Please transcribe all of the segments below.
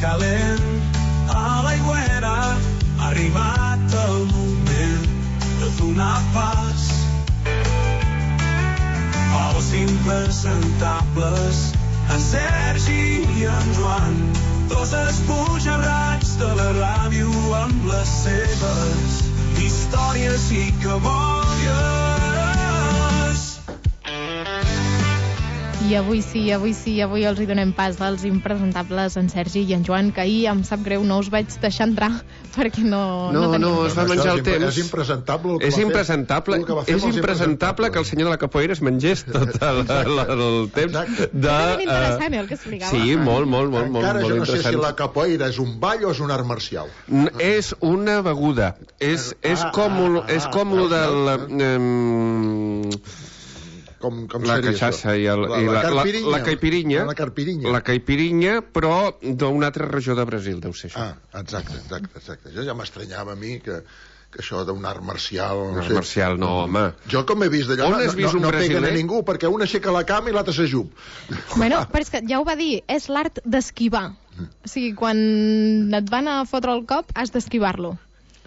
calent a l'aigüera. Ha arribat el moment de donar pas als impresentables, en Sergi i en Joan, dos esbojarrats de la ràdio amb les seves històries i cabòries. I avui els hi donem pas als impresentables en Sergi i en Joan, que ahir, em sap greu, no us vaig deixar entrar perquè no teníem... No, es va menjar el temps. És impresentable el que és impresentable que el senyor de la capoeira es mengés tot el temps de... És ben interessant, el que explicava. Sí, molt Encara jo no sé interessant. si la capoeira és un ball o és un art marcial. És una beguda. És com lo del... Com la seria cachaça això? i la caipirinha. La caipirinha, però d'una altra regió de Brasil, deu ser això. Exacte. Jo ja m'estranyava a mi que això d'un art marcial... Art marcial, no, home. Jo com he vist d'allò no peguen a ningú, perquè un aixeca la cama i l'altre s'ajup. Bueno, però és que ja ho va dir, és l'art d'esquivar. O sigui, quan et van a fotre el cop, has d'esquivar-lo.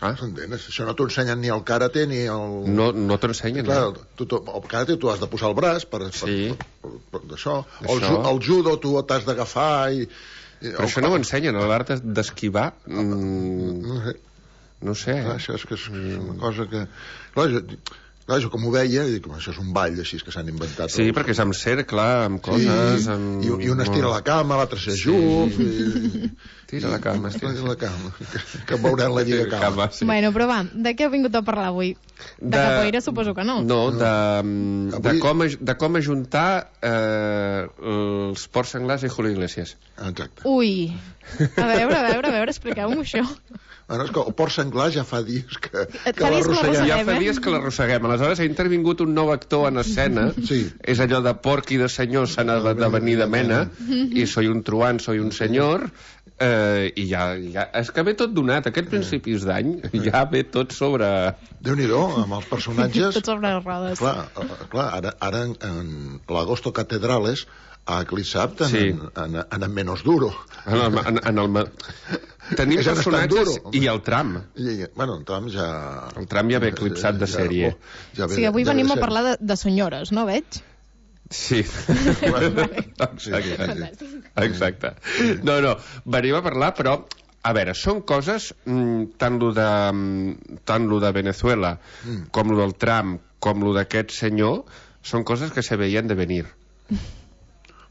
S'entens? Això no t'ho ensenyen ni el karate ni el... No t'ho ensenyen, no. El karate tu has de posar el braç per d'això. El judo tu t'has d'agafar i... Però això no ho ensenyen, l'art d'esquivar... No sé. Això és que és una cosa que... Clar, jo com ho veia, dic, això és un ball així que s'han inventat. Sí, perquè és amb cercle, amb coses... I un estira la cama, l'altre s'ajup... Tira la cama, que veurem la lliga cama. Bueno, però va, de què heu vingut a parlar avui? De capoeira suposo que no. No, de com ajuntar els porcs senglars i Julio Iglesias. Exacte. Ui, a veure, expliqueu-m'ho això. Bueno, és que el porc senglar ja fa dies que l'arrosseguem. Ja fa dies que l'arrosseguem. Aleshores ha intervingut un nou actor en escena. És allò de porc i de senyor s'ha de venir de mena, i soy un truán, soy un senyor, i ja és que ve tot donat. Aquests principis d'any ja ve tot sobre... Déu-n'hi-do, amb els personatges... Tot sobre les rodes. Clar, ara en l'Agosto Catedrales a Clissap en menos duro. Tenim personatges i el tram. Bueno, el tram ja... El tram ja ve eclipsat de sèrie. Sí, avui venim a parlar de senyores, no veig? Sí. Exacte. No, venim a parlar, però a veure, són coses tant lo de Venezuela com lo del Trump com lo d'aquest senyor, són coses que se veien de venir.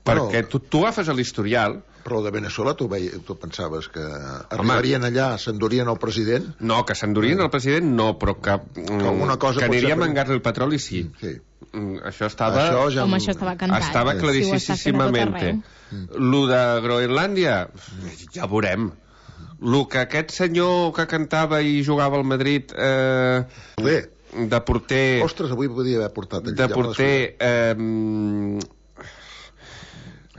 Perquè tu agafes l'historial. Però de Venezuela tu pensaves que arribarien allà, s'endurien el president? No, que s'endurien el president no, però que aniria a mangar-li el petroli, sí. Això estava... Home, això estava cantat. Estava claríssimament. Lo de Groenlàndia, ja veurem. Lo que aquest senyor que cantava i jugava al Madrid... de porter... Ostres, avui podia haver portat... De porter...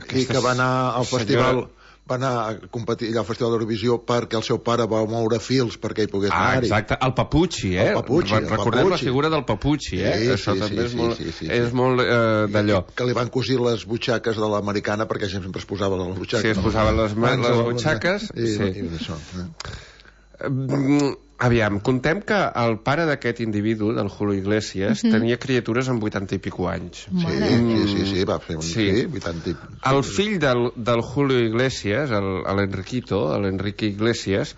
Aquí que va anar al festival... Va anar a competir allà al Festival d'Eurovisió perquè el seu pare va moure fils perquè hi pogués anar-hi. Exacte, el Papucci, recordem la figura del Papucci, això també és molt d'allò. Que li van cosir les butxaques de l'americana perquè sempre es posava les butxaques. Sí, es posaven les butxaques. Aviam, contem que el pare d'aquest individu, del Julio Iglesias, tenia criatures amb 80 i pico anys. Sí, va fer 80 i... El fill del Julio Iglesias, l'Enrique Iglesias,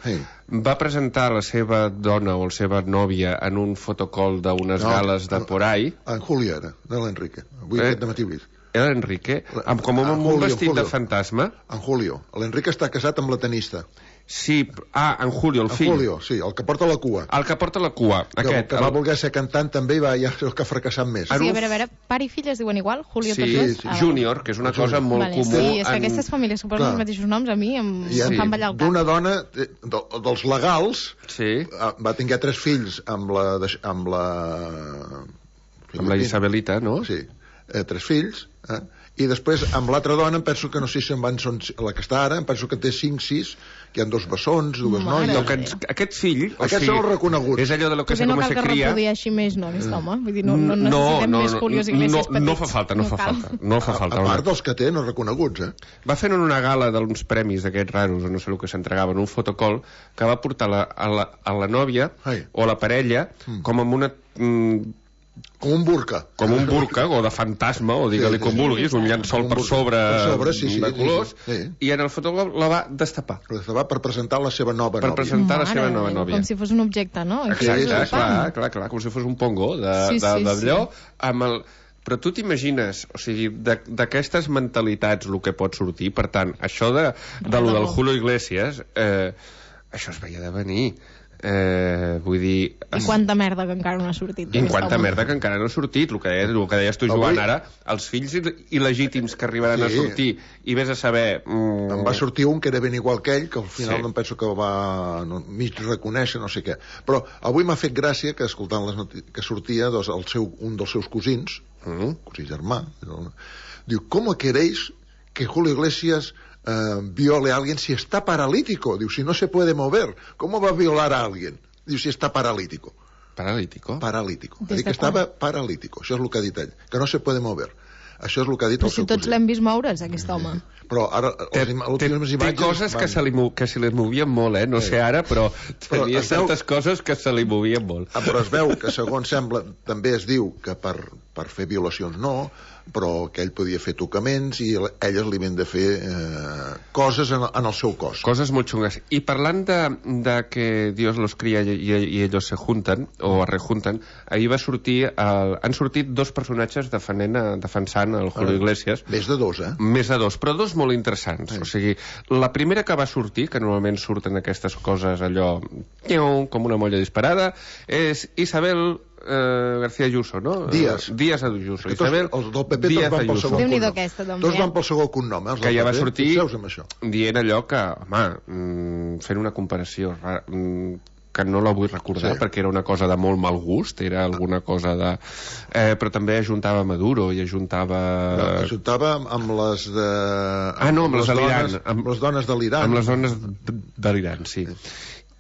va presentar la seva dona o la seva nòvia en un fotocall d'unes gales de por ahí. En Julio era, de l'Enrique. Avui aquest dematí ho he vist. Era l'Enrique? Com amb un vestit de fantasma? En Julio. L'Enrique està casat amb la tenista. Sí, en Julio, el fill. En Julio, sí, el que porta la cua. El que porta la cua, aquest. Que va voler ser cantant també i va ja el que ha fracassat més. Sí, a veure, pare i fill es diuen igual? Julio sí, Júnior, que és una cosa molt comú. Sí, és que aquestes famílies que posen els mateixos noms a mi em fan ballar el cap. D'una dona, dels legals, va tenir 3 fills amb la Isabelita, no? Sí, 3 fills, I després, amb l'altra dona, em penso que no sé si la que està ara, em penso que té 5, 6, que hi ha 2 bessons, 2 noies. Aquest fill... Aquests són els reconeguts. És allò de lo que se no com cal se que cria... reprodueixi més, no, aquest home? Vull dir, no necessitem més Julios Iglesias petits. No fa falta, no fa falta. A part dels que té, no reconeguts, Va fer una gala d'uns premis d'aquests raros, o no sé el que s'entregaven, un fotocol, que va portar a la nòvia, o a la parella, com amb una... Com un burca. Com un burca, o de fantasma, o digue-li com vulguis, un llençol per sobre de colors, i en el fotocol la va destapar. La destapar per presentar la seva nova nòvia. Per presentar la seva nova nòvia. Com si fos un objecte, no? Exacte, clar, com si fos un pongo d'allò, amb el... Però tu t'imagines, o sigui, d'aquestes mentalitats el que pot sortir, per tant, això de lo del Julio Iglesias, això es veia de venir. Vull dir... I quanta merda que encara no ha sortit. I quanta merda que encara no ha sortit. El que deies tu, Joan, ara, els fills il·legítims que arribaran a sortir, i vés a saber... Em va sortir un que era ben igual que ell, que al final em penso que va mig reconèixer, no sé què. Però avui m'ha fet gràcia que, escoltant les notícies, que sortia un dels seus cosins, cosí germà, diu, ¿cómo queréis que Julio Iglesias viole a alguien si está paralítico? Diu, si no se puede mover, ¿cómo va a violar a alguien? Diu, si está paralítico. Paralítico? Paralítico. Ha dit que estava paralítico. Això és el que ha dit ell. Que no se puede mover. Això és el que ha dit el seu cosí. Però si tots l'hem vist moure's, aquest home. Però ara, les últimes imatges... Té coses que se li movien molt, no sé ara, però tenia certes coses que se li movien molt. Però es veu que, segons sembla, també es diu que per fer violacions no, però que ell podia fer tocaments i elles li havien de fer coses en el seu cos. Coses molt xungues. I parlant de que Dios los cría y ellos se juntan, o es rejunten, ahir va sortir... Han sortit 2 personatges defensant el Julio Iglesias. Més de 2, Més de 2, però 2 molt interessants. O sigui, la primera que va sortir, que normalment surten aquestes coses allò com una molla disparada, és Isabel García Ayuso, no? Díaz Ayuso. Isabel els del PP Díaz tots van pel segon cognom. Tots van pel segon cognom, que ja va sortir dient allò que, home, fent una comparació que no la vull recordar perquè era una cosa de molt mal gust, era alguna cosa de... però també ajuntava Maduro i ajuntava amb les de... amb les de l'Iran. Amb les dones de l'Iran. Amb les dones de l'Iran, sí.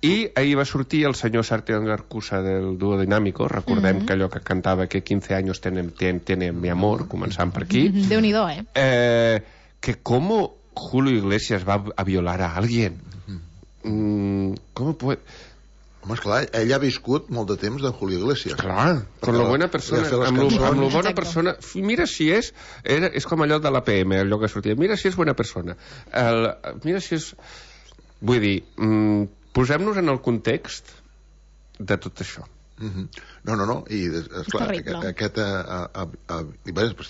I ahir va sortir el senyor Sartión Garcusa del Dúo Dinámico, recordem que allò que cantava que 15 anys tiene mi amor, començant per aquí. Déu-n'hi-do, que com Julio Iglesias va a violar a alguien. Com puede... Home, esclar, ell ha viscut molt de temps de Julio Iglesias. Clar, con lo buena persona, amb lo bona persona. Mira si és com allò de l'APM, allò que sortia. Mira si és bona persona. Mira si és... Vull dir, posem-nos en el context de tot això. No, i esclar, aquest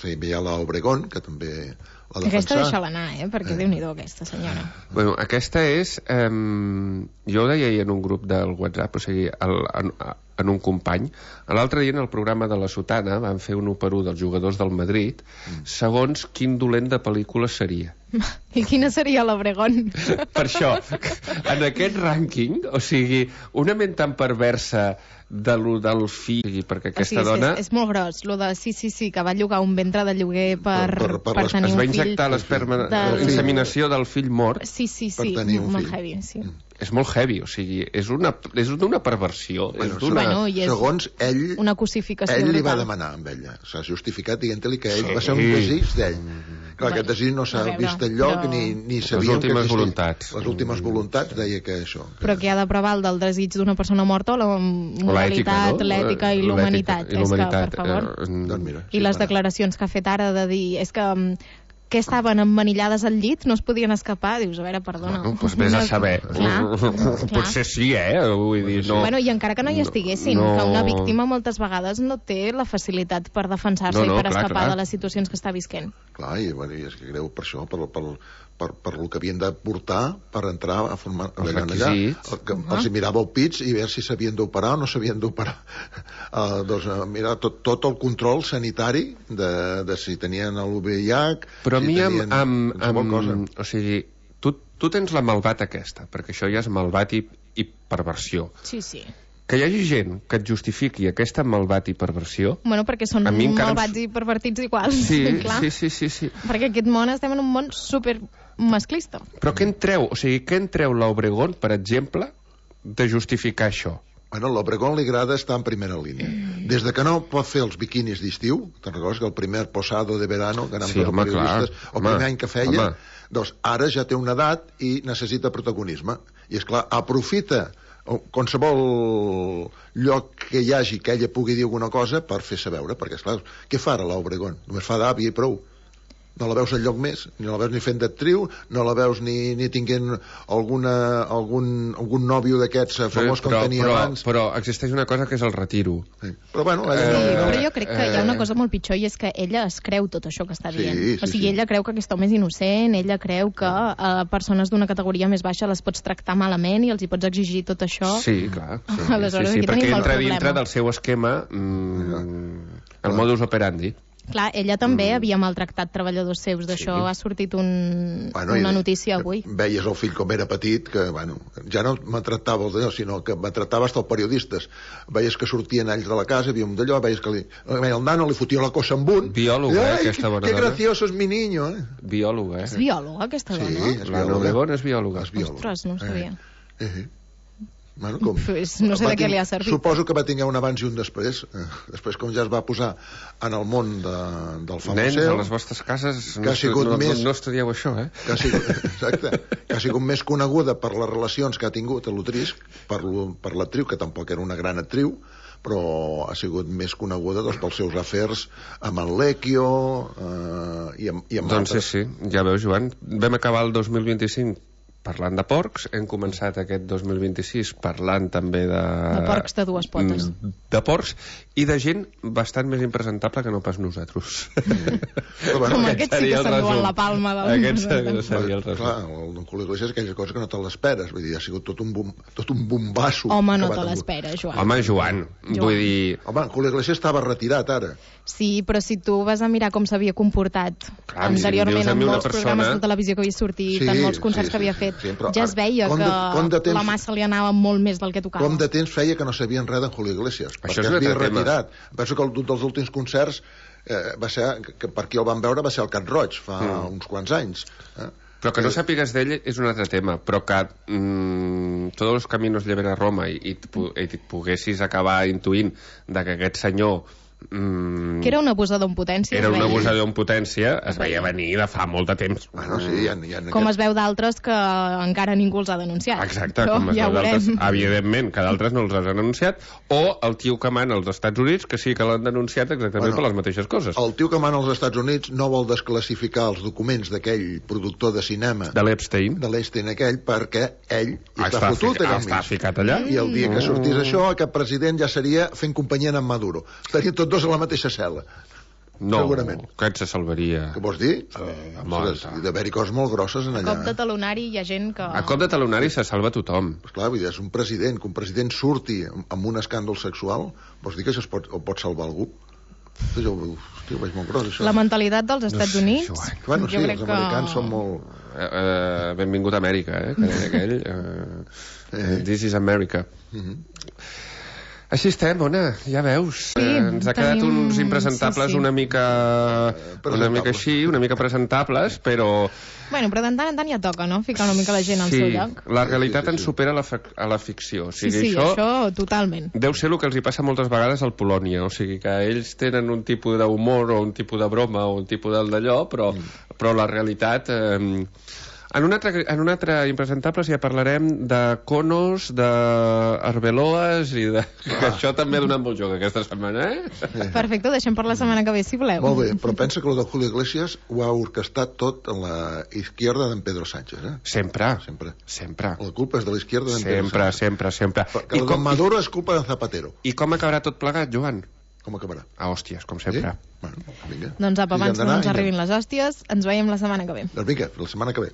hi ha l'Obregón, que també l'ha defensat. Aquesta deixa-la anar, perquè Déu-n'hi-do aquesta senyora. Bueno, aquesta és jo ho deia ahir en un grup del WhatsApp, o sigui en un company, l'altre dia en el programa de la Sotana van fer un 1-1 dels jugadors del Madrid segons quin dolent de pel·lícula seria. I quina seria l'Obregón? Per això, en aquest rànquing, o sigui, una ment tan perversa del fill, perquè aquesta dona... És molt gros, lo de sí, que va llogar un ventre de lloguer per tenir un fill. Es va injectar l'inseminació del fill mort. Sí, molt heavy, sí. És molt heavy, o sigui, és d'una perversió. Segons ell... Una cosificació. Ell li va demanar amb ella. S'ha justificat dient-li que ell va ser un desig d'ell. Clar, aquest desig no s'ha vist enlloc ni sabia que existia. Les últimes voluntats deia que això. Però que ha de preval del desig d'una persona morta o la moralitat, l'ètica i la humanitat. És que, per favor... I les declaracions que ha fet ara de dir... És que estaven emmanillades al llit, no es podien escapar, dius, a veure, perdona. Doncs vés a saber. Potser sí, vull dir, no... Bueno, i encara que no hi estiguessin, que una víctima moltes vegades no té la facilitat per defensar-se i per escapar de les situacions que està visquent. Clar, i és que greu per això, per el que havien de portar per entrar a formar allà. Els mirava el pits i veure si s'havien d'operar o no s'havien d'operar. Doncs mirar tot el control sanitari de si tenien el VIH... Però a mi o sigui, tu tens la malvat aquesta, perquè això ja és malvat i perversió. Sí. Que hi hagi gent que et justifiqui aquesta malvat i perversió... Bueno, perquè són malvats i pervertits iguals. Sí, clar. Sí. Perquè aquest món, estem en un món super masclista. Però què en treu? O sigui, què en treu l'Obregón, per exemple, de justificar això? Bueno, a l'Obregón li agrada estar en primera línia. Des de que no pot fer els biquinis d'estiu, te'n recordes que el primer posado de verano, que anàvem tots els periodistes, el primer any que feia, doncs ara ja té una edat i necessita protagonisme. I, esclar, aprofita qualsevol lloc que hi hagi que ella pugui dir alguna cosa per fer-se veure, perquè, esclar, què fa ara l'Obregón? Només fa d'àvia i prou. No la veus enlloc més, ni la veus ni fent d'actriu, no la veus ni tinguent algun nòvio d'aquests famós com tenia abans. Però existeix una cosa que és el retiro. Sí. Però bueno... però jo crec que hi ha una cosa molt pitjor i és que ella es creu tot això que està dient. O sigui, ella creu que aquest home és innocent, ella creu que a persones d'una categoria més baixa les pots tractar malament i els hi pots exigir tot això. Sí, clar. Aleshores, aquí perquè entra dintre del seu esquema el modus operandi. Clar, ella també havia maltractat treballadors seus, d'això ha sortit una notícia avui. Veies el fill com era petit, que, bueno, ja no maltractava els d'allò, sinó que maltractava hasta els periodistes. Veies que sortien ells de la casa, havia un d'allò, veies que el nano li fotia la cosa amb un. Biòloga, aquesta bona dona. Que gracioso es mi niño, Biòloga, És biòloga, aquesta dona? Sí, la Obregón és biòloga. Ostres, no ho sabia. Bueno, pues no sé de què li ha servit. Suposo que va tenir un abans i un després. Després, com ja es va posar en el món del famoseu... Nens, a les vostres cases no estudieu això, eh? Exacte. Que ha sigut més coneguda per les relacions que ha tingut a l'Utrisc, per l'actriu, que tampoc era una gran actriu, però ha sigut més coneguda pels seus afers amb en Lecchio i amb doncs sí, ja veus, Joan, vam acabar el 2025 parlant de porcs, hem començat aquest 2026 parlant també de porcs de dues potes. De porcs i de gent bastant més impresentable que no pas nosaltres. Com aquest sí que s'enduen la palma del... Aquest seria el resum. Clar, el Don Julio Iglesias, aquelles coses que no te l'esperes, vull dir, ha sigut tot un bombasso. Home, no te l'esperes, Joan. Home, Joan, vull dir... Home, Julio Iglesias estava retirat ara. Sí, però si tu vas a mirar com s'havia comportat anteriorment en molts programes de televisió que havia sortit, en molts concerts que havia fet, ja es veia que la massa li anava molt més del que tocava. Com de temps feia que no sabien res d'en Julio Iglesias, perquè es havia retirat. Penso que un dels últims concerts va ser, que per qui el van veure va ser al Cat Roig, fa uns quants anys. Però que no sàpigues d'ell és un altre tema, però que tots els caminos lleven a Roma i poguessis acabar intuint de que aquest senyor que era un abusador en potència. Era un abusador en potència, es veia venir de fa molt de temps. Bueno, sí, com es veu d'altres que encara ningú els ha denunciat. Exacte, com es veu d'altres, evidentment, que d'altres no els han denunciat, o el tio que mana als Estats Units, que sí que l'han denunciat exactament per les mateixes coses. El tio que mana als Estats Units no vol desclassificar els documents d'aquell productor de cinema de l'Epstein aquell, perquè ell està fotut allà està ficat allà, i el dia que sortís això, aquest president ja seria fent companyia amb Maduro. Estarien tots dos a la mateixa cel·la. No, segurament. Que et se salvaria. Què vols dir? D'haver-hi coses molt grosses en allà. A cop de talonari hi ha gent que... A cop de talonari se salva tothom. Esclar, vull dir, és un president, que un president surti amb un escàndol sexual, vols dir que això pot salvar algú? Jo ho veig molt gros, això. La mentalitat dels Estats Units... Bueno, sí, els americans són molt... Benvingut a Amèrica, que deia aquell. This is America. Així estem, Ona, ja veus. Ens ha quedat uns impresentables una mica així, una mica presentables, però... Bueno, però de tant en tant ja toca, no?, ficar una mica la gent al seu lloc. La realitat ens supera a la ficció. O sigui, això totalment. Deu ser el que els hi passa moltes vegades al Polònia, o sigui que ells tenen un tipus d'humor o un tipus de broma o un tipus d'allò, però la realitat... En un altre impresentables ja parlarem de conos, d'arbeloes i de... Que això també ha donat molt joc aquesta setmana, Perfecte, deixem per la setmana que ve, si voleu. Molt bé, però pensa que el de Julio Iglesias ho ha orquestat tot en la izquierda d'en Pedro Sánchez, Sempre. La culpa és de la izquierda d'en Pedro Sánchez. Sempre. Perquè el de Maduro és culpa de Zapatero. I com acabarà tot plegat, Joan? Com acabarà? A hòsties, com sempre. Bueno, vinga. Doncs apa, abans no ens arribin les hòsties, ens veiem la setmana que ve. Doncs vinga, la setmana que ve.